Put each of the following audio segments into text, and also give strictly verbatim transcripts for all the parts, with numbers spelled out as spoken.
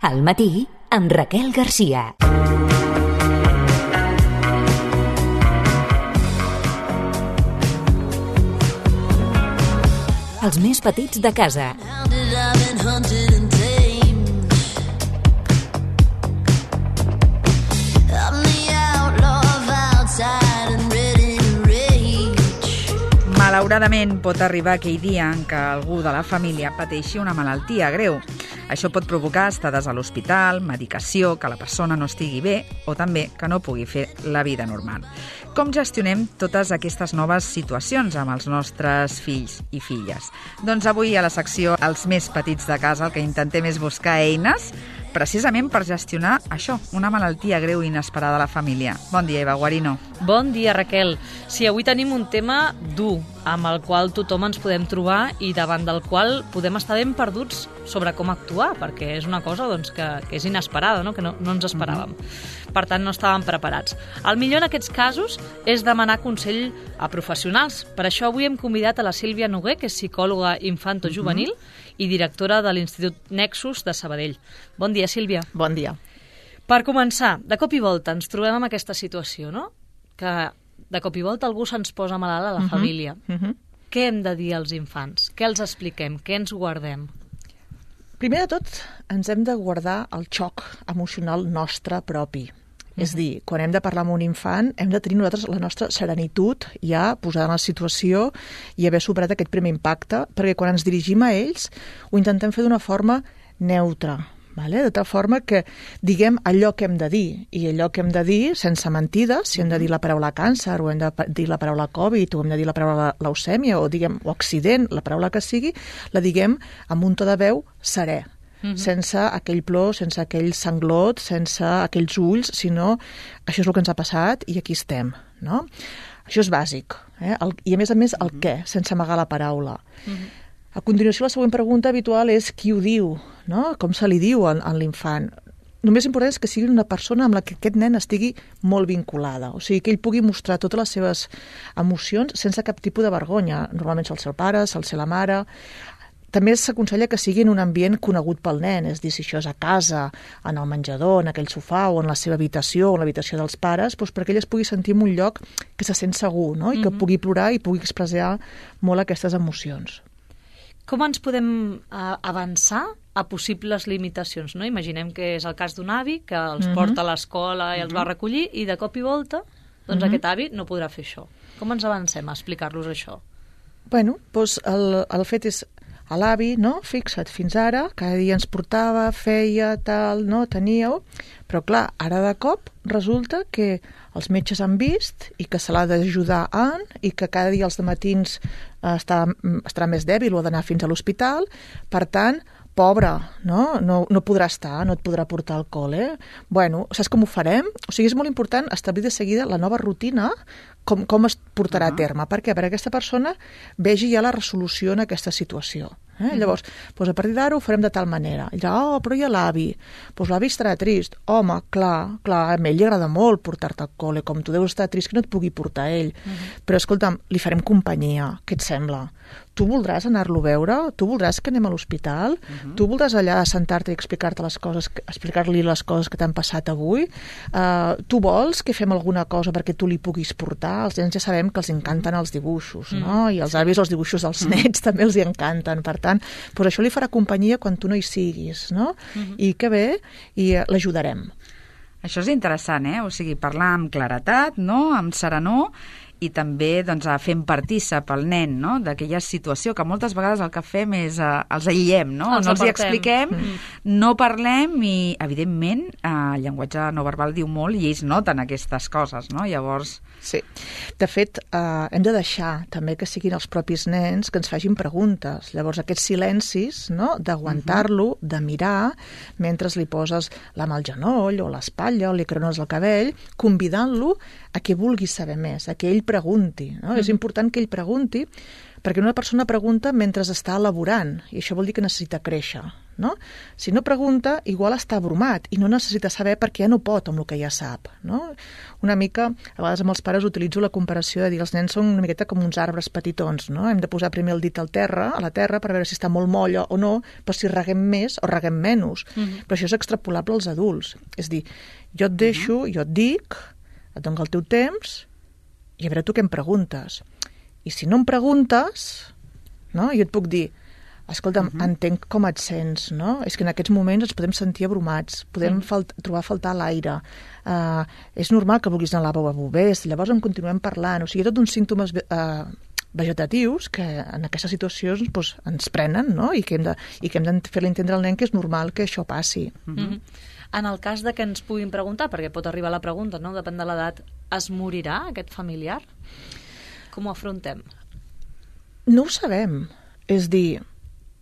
Al matí, amb Raquel Garcia. Els més petits de casa. Malauradament pot arribar aquell dia en què algú de la família pateixi una malaltia greu. Això pot provocar estades a l'hospital, medicació, que la persona no estigui bé o també que no pugui fer la vida normal. Com gestionem totes aquestes noves situacions amb els nostres fills i filles? Doncs avui a la secció Els més petits de casa el que intentem és buscar eines precisament per gestionar això, una malaltia greu i inesperada a la família. Bon dia, Eva Guarino. Bon dia, Raquel. Sí, avui tenim un tema dur, amb el qual tothom ens podem trobar i davant del qual podem estar ben perduts sobre com actuar, perquè és una cosa doncs, que, que és inesperada, no? que no, no ens esperàvem. Mm-hmm. Per tant, no estàvem preparats. El millor en aquests casos és demanar consell a professionals. Per això avui hem convidat a la Sílvia Noguer, que és psicòloga infantojuvenil mm-hmm. i directora de l'Institut Nexus de Sabadell. Bon dia, Sílvia. Bon dia. Per començar, de cop i volta ens trobem en aquesta situació, no? Que de cop i volta algú se'ns posa malalt a la uh-huh. família. Uh-huh. Què hem de dir als infants? Què els expliquem? Què ens guardem? Primer de tot, ens hem de guardar el xoc emocional nostre propi. Uh-huh. És dir, quan hem de parlar amb un infant, hem de tenir nosaltres la nostra serenitud ja posada en la situació i haver superat aquest primer impacte, perquè quan ens dirigim a ells ho intentem fer d'una forma neutra, vale? De tal forma que diguem allò que hem de dir, i allò que hem de dir sense mentides, si hem de dir la paraula càncer, o hem de dir la paraula Covid, o hem de dir la paraula leucèmia, o diguem o accident, la paraula que sigui, la diguem amb un to de veu serè. Mm-hmm. Sense aquell plor, sense aquell sanglot, sense aquells ulls, sinó això és el que ens ha passat i aquí estem, no? Això és bàsic, eh? El, i a més a més el mm-hmm. què, sense amagar la paraula. Mm-hmm. A continuació, la següent pregunta habitual és qui ho diu, no? Com se li diu a, a l'infant. El més important és que sigui una persona amb la que aquest nen estigui molt vinculada, o sigui, que ell pugui mostrar totes les seves emocions sense cap tipus de vergonya. Normalment sol ser el pare, sol ser la mare. També s'aconsella que sigui en un ambient conegut pel nen, és a dir, si això és a casa, en el menjador, en aquell sofà o en la seva habitació o en l'habitació dels pares, doncs perquè ell es pugui sentir en un lloc que se sent segur, no? I que mm-hmm. pugui plorar i pugui expressar molt aquestes emocions. Com ens podem uh, avançar a possibles limitacions, no? Imaginem que és el cas d'un avi que els mm-hmm. porta a l'escola i els mm-hmm. va recollir i de cop i volta doncs mm-hmm. aquest avi no podrà fer això. Com ens avancem a explicar-los això? Bueno, doncs el, el fet és a l'avi, no? Fixa't, fins ara, cada dia ens portava, feia, tal, no? Teníeu, però clar, ara de cop resulta que els metges han vist i que se l'ha d'ajudar en i que cada dia els dematins eh, està, estarà més dèbil o ha d'anar fins a l'hospital, per tant, pobre, no? No, no podrà estar, no et podrà portar al col·le. Bueno, saps com ho farem? O sigui, és molt important establir de seguida la nova rutina, com, com es portarà uh-huh. a terme. Per què? Perquè aquesta persona vegi ja la resolució en aquesta situació. Eh? Uh-huh. Llavors, doncs a partir d'ara ho farem de tal manera. I dirà, oh, però hi ha l'avi. Doncs l'avi estarà trist. Home, clar, clar, a ell li agrada molt portar-te al col·le, com tu deus estar trist que no et pugui portar ell. Uh-huh. Però, escolta'm, li farem companyia. Què et sembla? Tu voldràs anar-lo a veure? Tu voldràs que anem a l'hospital? Uh-huh. Tu voldràs allà sentar-te i explicar-te les coses, explicar-li les coses que t'han passat avui? Uh, tu vols que fem alguna cosa perquè tu li puguis portar? Els nens ja sabem que els encanten els dibuixos, uh-huh. no? I els avis els dibuixos dels uh-huh. nets també els hi encanten. Per tant, doncs això li farà companyia quan tu no hi siguis, no? Uh-huh. I que bé, i l'ajudarem. Això és interessant, eh? O sigui, parlar amb claretat, no? Amb serenor, i també doncs, fem partícip al nen, no? D'aquella situació que moltes vegades el que fem és eh, els aïllem, no? Els no els hi apartem. expliquem, mm. no parlem i, evidentment, eh, el llenguatge no verbal diu molt i ells noten aquestes coses, no? Llavors... Sí. De fet, eh, hem de deixar també que siguin els propis nens que ens facin preguntes. Llavors, aquests silencis, no? D'aguantar-lo, uh-huh. de mirar, mentre li poses la mà al genoll o l'espatlla o li crones el cabell, convidant-lo a que vulgui saber més, a que ell pregunti. No? Mm. És important que ell pregunti, perquè una persona pregunta mentre està elaborant, i això vol dir que necessita créixer. no? Si no pregunta, igual està abrumat i no necessita saber perquè ja no pot amb el que ja sap, no? Una mica, a vegades amb els pares utilitzo la comparació de dir els nens són una miqueta com uns arbres petitons, no? Hem de posar primer el dit al terra, a la terra per veure si està molt molla o no, per si reguem més o reguem menys. Mm-hmm. Però això és extrapolable als adults. És dir, jo et deixo, mm-hmm. jo et dic, et dono el teu temps i a veure tu què em preguntes. I si no em preguntes, no? Jo et puc dir, escolta'm, uh-huh. entenc com et sents, no? És que en aquests moments ens podem sentir abrumats, podem uh-huh. falt- trobar a faltar l'aire, uh, és normal que vulguis anar al lavabo a bobers, llavors en continuem parlant, o sigui, tot uns símptomes uh, vegetatius que en aquestes situacions doncs, ens prenen, no? I que hem de, i que hem de fer-li entendre al nen que és normal que això passi. Uh-huh. Uh-huh. En el cas de que ens puguin preguntar, perquè pot arribar la pregunta, no? Depèn de l'edat, es morirà aquest familiar? Com ho afrontem? No ho sabem, és dir,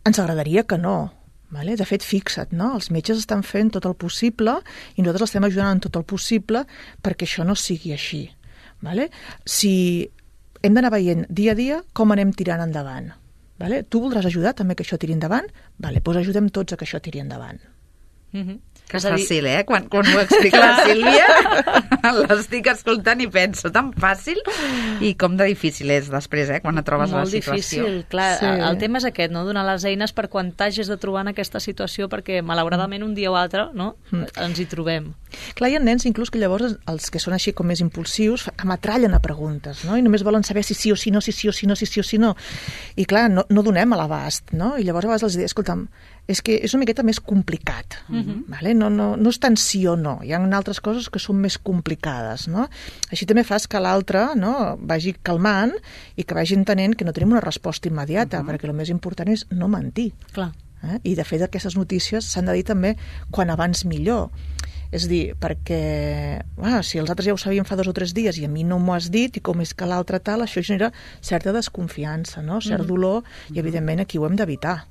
ens agradaria que no. Vale? De fet, fixa't, no? Els metges estan fent tot el possible i nosaltres estem ajudant en tot el possible perquè això no sigui així. Vale? Si hem d'anar veient dia a dia com anem tirant endavant. Vale? Tu voldràs ajudar també que això tiri endavant? Vale, doncs ajudem tots a que això tiri endavant. Mm-hmm. Que és fàcil, eh? Quan, quan ho explica la Sílvia, l'estic escoltant i penso, tan fàcil, i com de difícil és després, eh? Quan et trobes Molt a la situació. Difícil, clar. Sí. El tema és aquest, no? Donar les eines per quan t'hagis de trobar en aquesta situació, perquè malauradament un dia o altre, no? Mm. ens hi trobem. Clar, hi ha nens inclús que llavors els que són així com més impulsius ametrallen a preguntes, no? I només volen saber si sí o si no, si sí o si no, si sí o si no. I clar, no, no donem a l'abast, no? I llavors a vegades els dic, escolta'm, és que és una miqueta més complicat, mm-hmm. vale? no, no, no és tant sí o no, hi ha altres coses que són més complicades, no? Així també fas que l'altre, no, vagi calmant i que vagi entenent que no tenim una resposta immediata, mm-hmm. perquè el més important és no mentir. Clar. Eh? I de fet aquestes notícies s'han de dir també quan abans millor. És dir, perquè ah, si els altres ja ho sabien fa dos o tres dies i a mi no m'ho has dit i com és que l'altre tal, això genera certa desconfiança, no? Cert mm-hmm. dolor i evidentment aquí ho hem d'evitar.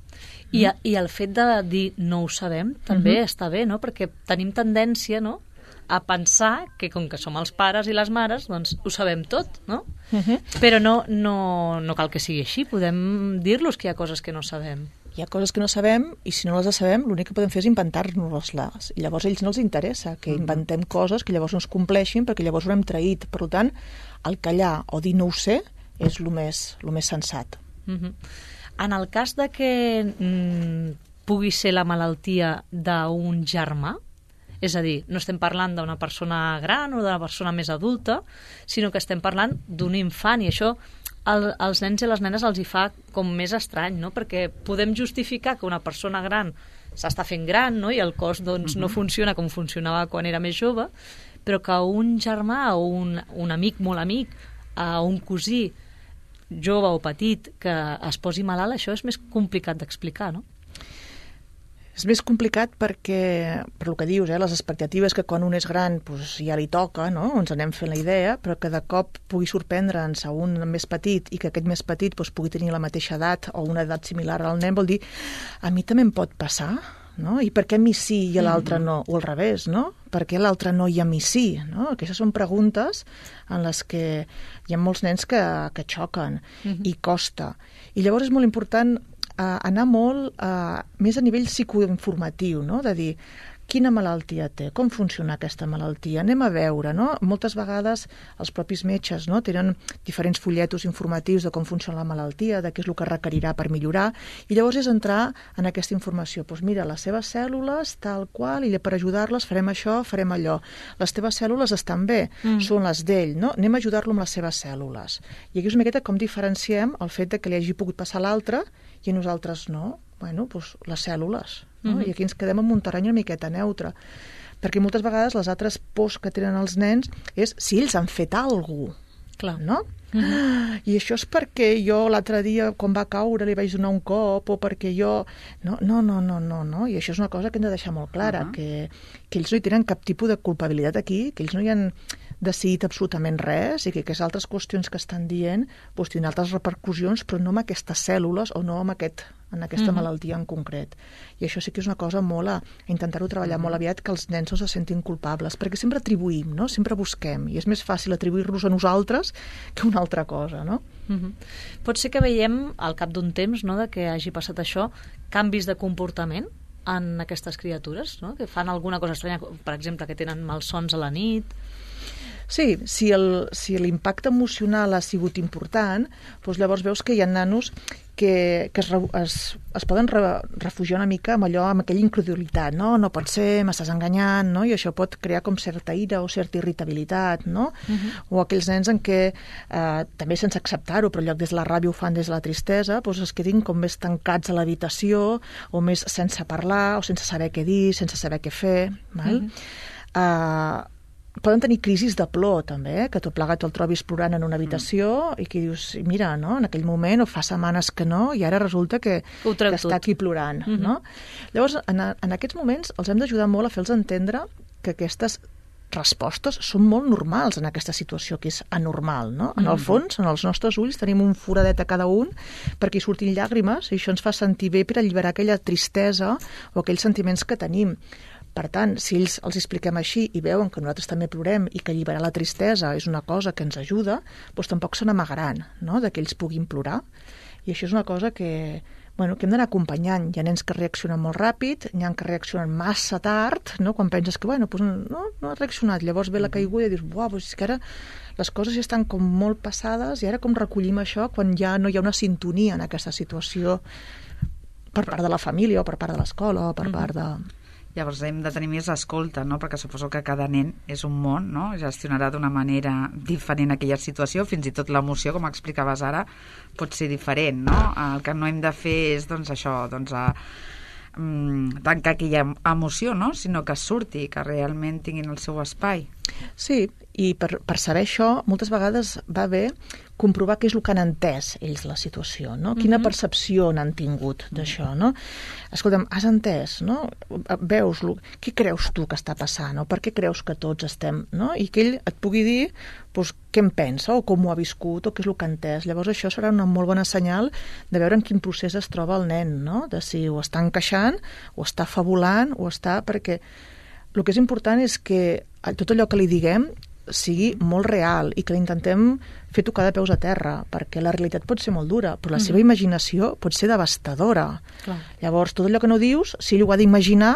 I, I el fet de dir no ho sabem també uh-huh. està bé, no? Perquè tenim tendència, no?, a pensar que com que som els pares i les mares, doncs ho sabem tot, no? Uh-huh. Però no, no, no cal que sigui així, podem dir-los que hi ha coses que no sabem. Hi ha coses que no sabem i si no les sabem l'únic que podem fer és inventar-nos-les i llavors a ells no els interessa que inventem coses que llavors no es compleixin perquè llavors ho hem traït. Per tant, el callar o dir no ho sé és el més, el més sensat. Uh-huh. En el cas de que mm, pugui ser la malaltia d'un germà, és a dir, no estem parlant d'una persona gran o d'una persona més adulta, sinó que estem parlant d'un infant, i això el, als nens i les nenes els hi fa com més estrany, no? Perquè podem justificar que una persona gran s'està fent gran, no? I el cos doncs, uh-huh. no funciona com funcionava quan era més jove, però que un germà o un, un amic molt amic, uh, un cosí jove o petit que es posi malalt, això és més complicat d'explicar, no? És més complicat perquè, per el que dius, eh, les expectatives que quan un és gran doncs ja li toca, no? Ens anem fent la idea, però que de cop pugui sorprendre'ns a un més petit i que aquest més petit doncs, pugui tenir la mateixa edat o una edat similar al nen, vol dir, a mi també em pot passar, no? I per què a mi sí i a l'altre no? O al revés, no? Per què a l'altre no i a mi sí? No? Aquestes són preguntes en les que hi ha molts nens que, que xoquen uh-huh. i costa. I llavors és molt important eh, anar molt eh, més a nivell psicoinformatiu, no? De dir, quina malaltia té, com funciona aquesta malaltia, anem a veure, no? Moltes vegades els propis metges, no? Tenen diferents fulletos informatius de com funciona la malaltia, de què és el que requerirà per millorar, i llavors és entrar en aquesta informació. Doncs mira, les seves cèl·lules, tal qual, i per ajudar-les farem això, farem allò. Les teves cèl·lules estan bé, mm. són les d'ell, no? Anem a ajudar-lo amb les seves cèl·lules. I aquí és una miqueta com diferenciem el fet de que li hagi pogut passar a l'altre i a nosaltres no. Bueno, doncs les cèl·lules, no? Mm-hmm. I aquí ens quedem en un terreny una miqueta neutre. Perquè moltes vegades les altres pors que tenen els nens és si ells han fet alguna cosa, clar. No? Mm-hmm. I això és perquè jo l'altre dia, quan va caure, li vaig donar un cop, o perquè jo... No, no, no, no, no, no. I això és una cosa que hem de deixar molt clara, uh-huh. que, que ells no hi tenen cap tipus de culpabilitat aquí, que ells no hi han decidit absolutament res i que aquestes altres qüestions que estan dient doncs, tenen altres repercussions, però no amb aquestes cèl·lules o no amb aquest, en aquesta mm-hmm. malaltia en concret. I això sí que és una cosa molt a, a intentar-ho treballar mm-hmm. molt aviat, que els nens no se sentin culpables, perquè sempre atribuïm, no? Sempre busquem, i és més fàcil atribuir-nos a nosaltres que una altra cosa, no? Mm-hmm. Pot ser que veiem, al cap d'un temps, no?, de que hagi passat això, canvis de comportament en aquestes criatures, no? Que fan alguna cosa estranya, per exemple, que tenen malsons a la nit. Sí, si el, si l'impacte emocional ha sigut important, doncs llavors veus que hi ha nanos que, que es, es, es poden re, refugiar una mica amb allò, amb aquella incredulitat, no? No pot ser, m'estàs enganyant, no? I això pot crear com certa ira o certa irritabilitat, no? Uh-huh. O aquells nens en què, eh, també sense acceptar-ho, però en lloc des de la ràbia ho fan des de la tristesa, doncs es quedin com més tancats a l'habitació, o més sense parlar, o sense saber què dir, sense saber què fer, val? Uh-huh. Uh, poden tenir crisis de plor, també, eh? Que tot plegat el trobis plorant en una habitació mm. i que dius, mira, no? En aquell moment o fa setmanes que no, i ara resulta que, que està aquí plorant, mm-hmm. no? Llavors, en, en aquests moments els hem d'ajudar molt a fer-los entendre que aquestes respostes són molt normals en aquesta situació que és anormal, no? En el fons, en els nostres ulls tenim un foradet a cada un perquè hi surtin llàgrimes i això ens fa sentir bé per alliberar aquella tristesa o aquells sentiments que tenim. Per tant, si ells els expliquem així i veuen que nosaltres també plorem i que alliberar la tristesa és una cosa que ens ajuda, doncs tampoc se n'amagaran, no?, de que ells puguin plorar. I això és una cosa que, bueno, que hem d'anar acompanyant. Hi ha nens que reaccionen molt ràpid, hi ha que reaccionen massa tard, no?, quan penses que, bueno, doncs no, no ha reaccionat, llavors ve la caiguda i dius, buah, doncs és que ara les coses ja estan com molt passades i ara com recollim això quan ja no hi ha una sintonia en aquesta situació per part de la família o per part de l'escola o per mm-hmm. part de... Llavors hem de tenir més escolta, no? Perquè suposo que cada nen és un món, no? Gestionarà d'una manera diferent aquella situació, fins i tot l'emoció, com explicaves ara, pot ser diferent, no? El que no hem de fer és, doncs, això, doncs, a, mm, tancar aquella emoció, no? Sinó que surti, que realment tinguin el seu espai. Sí, i per, per saber això, moltes vegades va bé comprovar què és el que han entès ells la situació, no? Quina uh-huh. percepció n'han tingut d'això, no? Escolta'm, has entès, no? Veus, què creus tu que està passant, o per què creus que tots estem, no? I que ell et pugui dir doncs, què en pensa, o com ho ha viscut, o què és el que ha entès. Llavors això serà una molt bona senyal de veure en quin procés es troba el nen, no? De si ho està encaixant, o està fabulant, o està... Perquè el que és important és que tot allò que li diguem sigui molt real i que l'intentem fer tocar de peus a terra, perquè la realitat pot ser molt dura, però la mm-hmm. seva imaginació pot ser devastadora. Clar. Llavors, tot allò que no dius, si ell ho ha d'imaginar,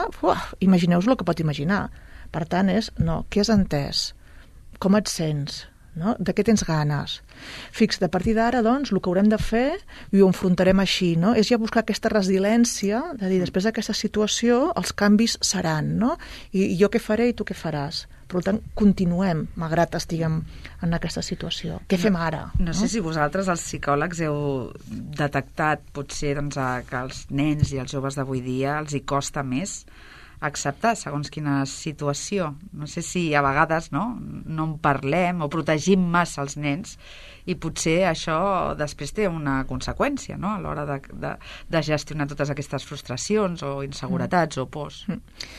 imagineu-vos el que pot imaginar. Per tant, és, no, què has entès? Com et sents? No? De què tens ganes? Fix, de partir d'ara, doncs, el que haurem de fer, i ho enfrontarem així, no? És ja buscar aquesta resiliència, de dir, després d'aquesta situació, els canvis seran, no? I, i jo què faré i tu què faràs? Per tant, continuem, malgrat estiguem en aquesta situació. Què fem ara? No, no sé no? si vosaltres, els psicòlegs, heu detectat, potser, doncs, que als nens i als joves d'avui dia els hi costa més acceptar segons quina situació. No sé si a vegades no, no en parlem o protegim massa els nens i potser això després té una conseqüència, no?, a l'hora de, de, de gestionar totes aquestes frustracions o inseguretats mm. o pors. Mm.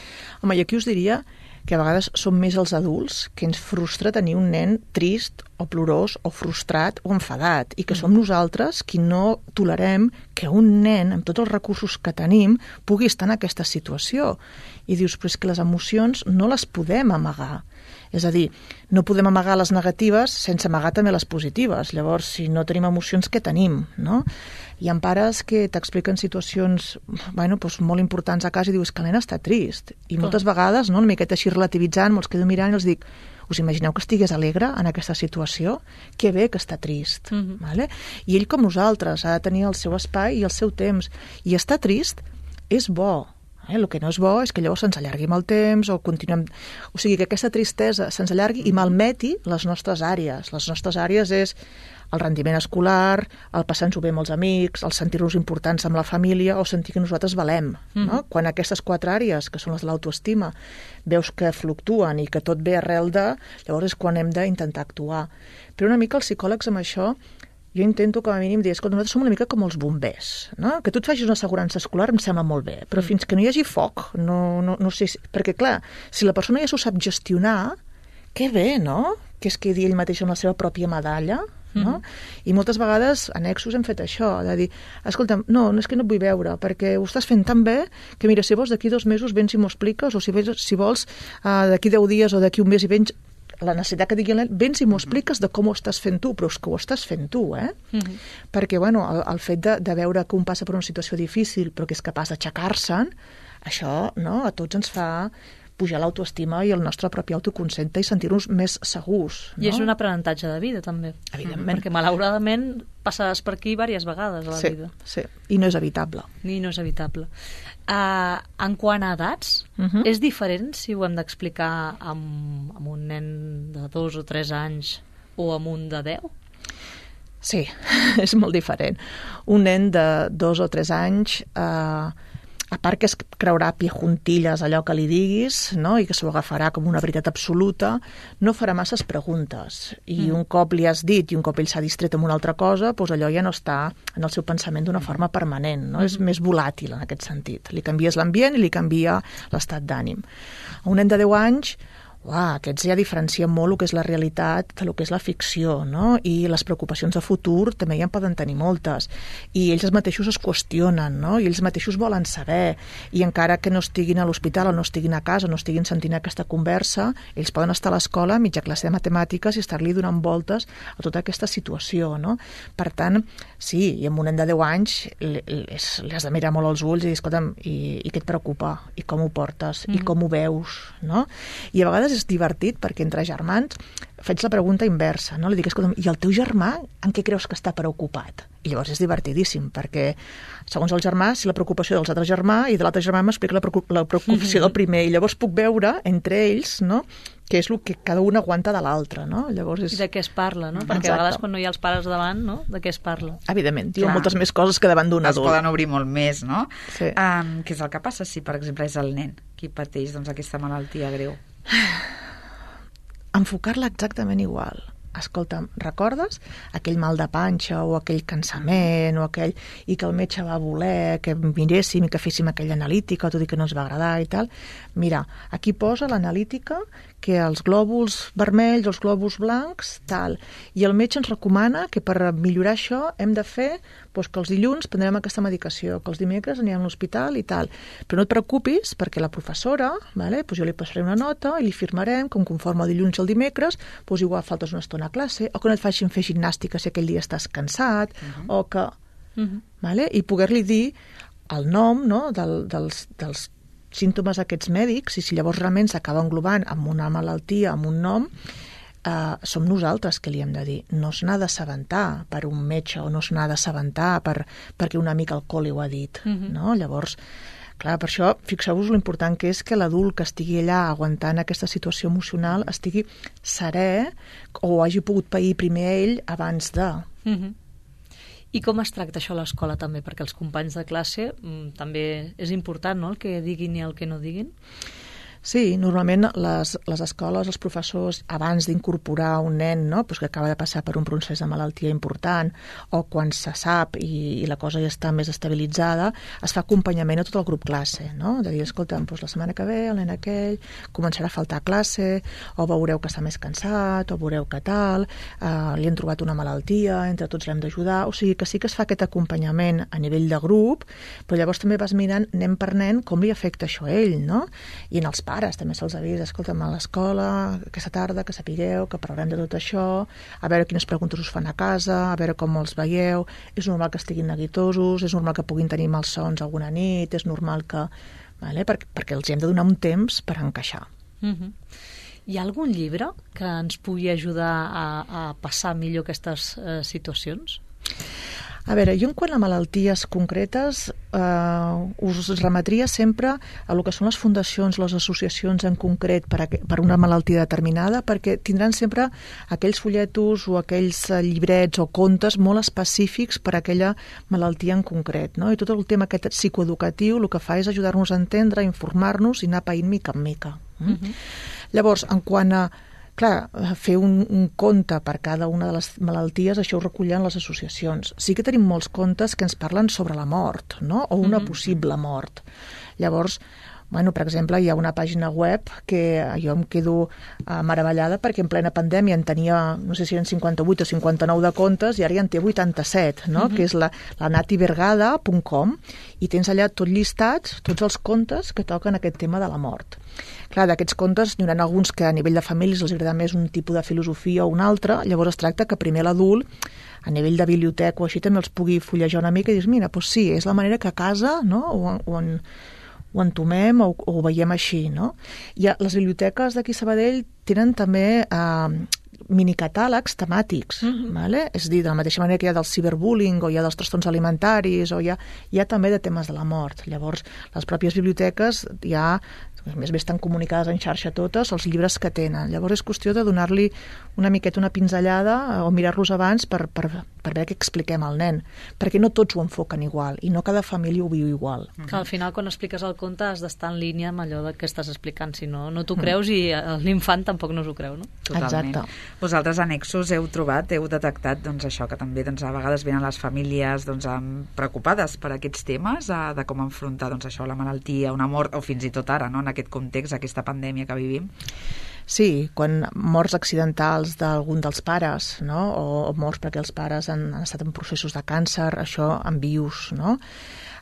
Home, i aquí us diria que a vegades som més els adults que ens frustra tenir un nen trist o plorós o frustrat o enfadat i que mm. som nosaltres qui no tolerem que un nen, amb tots els recursos que tenim, pugui estar en aquesta situació. I dius, però és que les emocions no les podem amagar. És a dir, no podem amagar les negatives sense amagar també les positives. Llavors, si no tenim emocions, què tenim, no? Hi ha pares que t'expliquen situacions bueno, doncs molt importants a casa i dius que el nen està trist. I moltes vegades, no, una miqueta així relativitzant, me'ls quedo mirant i els dic, us imagineu que estigués alegre en aquesta situació? Que bé que està trist. Mm-hmm. Vale? I ell, com nosaltres, ha de tenir el seu espai i el seu temps. I estar trist és bo. Eh? El que no és bo és que llavors se'ns allargui amb el temps o continuem... O sigui, que aquesta tristesa se'ns allargui i malmeti les nostres àrees. Les nostres àrees és el rendiment escolar, el passar-nos-ho bé amb els amics, el sentir-nos importants amb la família o sentir que nosaltres valem. Mm. No? Quan aquestes quatre àrees, que són les de l'autoestima, veus que fluctuen i que tot ve arrel de... Llavors és quan hem d'intentar actuar. Però una mica els psicòlegs amb això jo intento com a mínim dir, escolta, nosaltres som una mica com els bombers, no? Que tu et facis una assegurança escolar em sembla molt bé, però mm. fins que no hi hagi foc, no, no, no sé... Si... Perquè, clar, si la persona ja s'ho sap gestionar, que bé, no? Que es quedi ell mateix amb la seva pròpia medalla, no? Mm. I moltes vegades, annexos, hem fet això, de dir, escolta, no, no és que no et vull veure, perquè ho estàs fent tan bé que, mira, si vols d'aquí dos mesos vens i m'ho expliques, o si, vens, si vols uh, d'aquí deu dies o d'aquí un mes i vens la necessitat que digui el nen, vens i m'ho expliques de com ho estàs fent tu, però és que ho estàs fent tu, eh? Mm-hmm. Perquè, bueno, el, el fet de, de veure que un passa per una situació difícil però que és capaç d'aixecar-se'n, això, no?, a tots ens fa pujar l'autoestima i el nostre propi autoconcepte i sentir-nos més segurs. No? I és un aprenentatge de vida, també. Evidentment. Perquè, malauradament, passaràs per aquí diverses vegades a la sí, vida. Sí, i no és evitable. I no és evitable. Uh, en quant a edats, uh Mhm. -huh. és diferent si ho hem d'explicar amb, amb un nen de dos o tres anys o amb un de deu? Sí, és molt diferent. Un nen de dos o tres anys, eh, a part que es creurà a pie juntilles allò que li diguis, no?, i que s'ho agafarà com una veritat absoluta, no farà masses preguntes. I mm. un cop li has dit i un cop ell s'ha distret amb una altra cosa, doncs allò ja no està en el seu pensament d'una forma permanent, no? Mm. És més volàtil en aquest sentit. Li canvies l'ambient i li canvia l'estat d'ànim. A un nen de deu anys, uah, aquests ja diferencien molt el que és la realitat del que és la ficció, no? I les preocupacions de futur també ja en poden tenir moltes. I ells mateixos es qüestionen, no? I ells mateixos volen saber. I encara que no estiguin a l'hospital o no estiguin a casa, no estiguin sentint aquesta conversa, ells poden estar a l'escola a mitja classe de matemàtiques i estar-li donant voltes a tota aquesta situació, no? Per tant, sí, i amb un nen de deu anys li, li, li has de mirar molt als ulls i dir, escolta'm, i, i què et preocupa? I com ho portes? Mm. I com ho veus? No? I a vegades és divertit perquè entre germans faig la pregunta inversa, no? Li dic, escolta'm, i el teu germà en què creus que està preocupat? I llavors és divertidíssim, perquè segons el germà, si la preocupació dels altres germà i de l'altre germà m'explica la, preocup la preocupació del primer, i llavors puc veure entre ells, no?, què és el que cada un aguanta de l'altre, no? Llavors és... I de què es parla, no? Perquè Exacte. a vegades quan no hi ha els pares davant, no?, de què es parla. Evidentment, diuen moltes més coses que davant d'un adult. Es poden obrir molt més, no? Sí. Um, què és el que passa si, per exemple, és el nen qui pateix doncs, aquesta malaltia greu? Enfocar-la exactament igual. Escolta'm, recordes aquell mal de panxa o aquell cansament o aquell... i que el metge va voler que miréssim i que féssim aquella analítica, tot i que no ens va agradar i tal? Mira, aquí posa l'analítica que els glòbuls vermells, els glòbuls blancs, tal. I el metge ens recomana que per millorar això hem de fer doncs, que els dilluns prendrem aquesta medicació, que els dimecres anirem a l'hospital i tal. Però no et preocupis perquè la professora, vale, doncs jo li passaré una nota i li firmarem com conforme el dilluns i el dimecres, doncs igual faltes una estona a classe, o que no et facin fer gimnàstica si aquell dia estàs cansat, uh -huh. o que... Uh -huh. vale? I poder-li dir el nom, no?, del, dels, dels símptomes aquests mèdics, i si llavors realment s'acaba englobant amb una malaltia, amb un nom, eh, som nosaltres que li hem de dir. No se n'ha d'assabentar per un metge o no se n'ha d'assabentar per, perquè un amic alcohòlic ho ha dit. Uh-huh. No? Llavors, clar, per això, fixeu-vos l'important que és que l'adult que estigui allà aguantant aquesta situació emocional estigui serè o hagi pogut pair primer ell abans de... Uh-huh. I com es tracta això a l'escola també? Perquè els companys de classe mm, també és important, no?, el que diguin i el que no diguin. Sí, normalment les, les escoles, els professors, abans d'incorporar un nen, no?, pues que acaba de passar per un procés de malaltia important, o quan se sap i, i la cosa ja està més estabilitzada, es fa acompanyament a tot el grup classe, no?, de dir, escolta'm, doncs la setmana que ve el nen aquell començarà a faltar a classe, o veureu que està més cansat, o veureu que tal, eh, li han trobat una malaltia, entre tots l'hem d'ajudar, o sigui que sí que es fa aquest acompanyament a nivell de grup, però llavors també vas mirant nen per nen com li afecta això a ell, no?, i en els pares també se'ls avisa, escolta'm, a l'escola aquesta tarda, que sapigueu, que parlarem de tot això, a veure quines preguntes us fan a casa, a veure com els veieu, és normal que estiguin neguitosos, és normal que puguin tenir malsons alguna nit, és normal que... Vale? Per, perquè els hem de donar un temps per encaixar. Uh-huh. Hi ha algun llibre que ens pugui ajudar a, a passar millor aquestes eh, situacions? A veure, jo en quant a malalties concretes eh, us remetria sempre a el que són les fundacions, les associacions en concret per, a, per una malaltia determinada, perquè tindran sempre aquells folletos o aquells llibrets o contes molt específics per a aquella malaltia en concret, no? I tot el tema aquest psicoeducatiu el que fa és ajudar-nos a entendre, a informar-nos i anar païnt mica en mica. Mm? Uh-huh. Llavors, en quant a clar, fer un, un compte per cada una de les malalties, això ho recullen les associacions. Sí que tenim molts contes que ens parlen sobre la mort, no?, o una mm-hmm. possible mort. Llavors, bueno, per exemple, hi ha una pàgina web que jo em quedo uh, meravellada perquè en plena pandèmia en tenia, no sé si eren cinquanta-vuit o cinquanta-nou de contes i ara ja en té vuitanta-set, no?, mm-hmm. que és la, la nativergada punt com, i tens allà tot llistats, tots els contes que toquen aquest tema de la mort. Clar, d'aquests contes n'hi haurà alguns que a nivell de famílies els agrada més un tipus de filosofia o un altre, llavors es tracta que primer l'adult, a nivell de biblioteca o així, també els pugui fullejar una mica i dir, mira, doncs sí, és la manera que a casa, no?, o, o, en, ho entomem o, o ho veiem així, no? I les biblioteques d'aquí a Sabadell tenen també eh, minicatàlegs temàtics, mm-hmm. vale? És a dir, de la mateixa manera que hi ha del ciberbullying o hi ha dels trastorns alimentaris o hi ha, hi ha també de temes de la mort. Llavors, les pròpies biblioteques ja, a més bé estan comunicades en xarxa totes, els llibres que tenen. Llavors és qüestió de donar-li una miqueta una pinzellada o mirar-los abans per, per, per veure què expliquem al nen, perquè no tots ho enfoquen igual i no cada família ho viu igual. Que al final quan expliques el conte has d'estar en línia amb allò que estàs explicant, si no, no t'ho creus i l'infant tampoc no s'ho creu, no? Totalment. Exacte. Vosaltres annexos heu trobat, heu detectat doncs, això, que també doncs, a vegades venen les famílies doncs, preocupades per aquests temes, eh, de com enfrontar doncs, això, la malaltia, una mort, o fins i tot ara, no? En aquest context, aquesta pandèmia que vivim. Sí, quan morts accidentals d'algun dels pares, no? o, o morts perquè els pares han, han estat en processos de càncer, això en vius, no?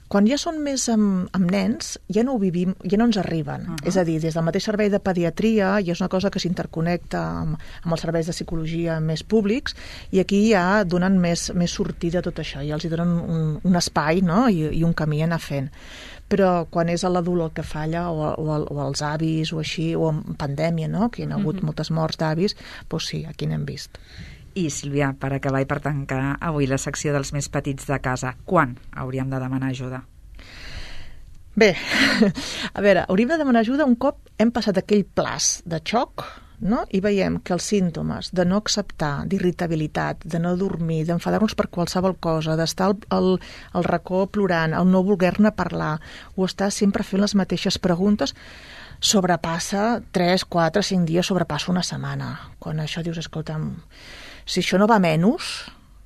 Quan ja són més amb, amb nens, ja no ho vivim, ja no ens arriben. Uh -huh. És a dir, des del mateix servei de pediatria, i és una cosa que s'interconnecta amb, amb els serveis de psicologia més públics, i aquí ja donen més, més sortida a tot això, i els hi donen un, un espai, no? I, i un camí a anar fent. Però quan és l'adult el que falla, o, o, o els avis, o així, o en pandèmia, no? Que hi ha hagut uh -huh. moltes morts d'avis, doncs sí, aquí n'hem vist. I, Sílvia, per acabar i per tancar avui la secció dels més petits de casa, quan hauríem de demanar ajuda? Bé, a veure, hauríem de demanar ajuda un cop hem passat aquell plaç de xoc, no? I veiem que els símptomes de no acceptar, d'irritabilitat, de no dormir, d'enfadar-nos per qualsevol cosa, d'estar al, al, al racó plorant, el no voler-ne parlar, o estar sempre fent les mateixes preguntes, sobrepassa tres, quatre, cinc dies, sobrepassa una setmana. Quan això dius, escolta'm, si això no va menys,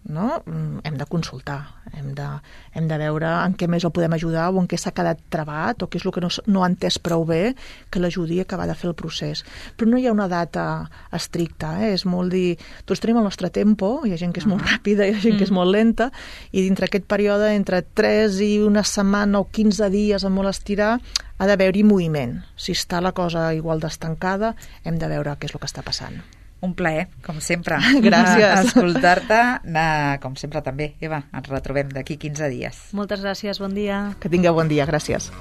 no? Hem de consultar, hem de, hem de veure en què més el podem ajudar o en què s'ha quedat trabat o què és el que no, no ha entès prou bé que l'ajudi a acabar de fer el procés. Però no hi ha una data estricta, eh? És molt dir, tots tenim el nostre tempo, hi ha gent que és molt ràpida, hi ha gent que és molt lenta, i dintre aquest període, entre tres i una setmana o quinze dies a molt estirar, ha d'haver-hi moviment. Si està la cosa igual d'estancada, hem de veure què és el que està passant. Un plaer, com sempre. Gràcies. Escoltar-te, com sempre també. Eva, ens retrobem d'aquí quinze dies. Moltes gràcies, bon dia. Que tingueu bon dia, gràcies.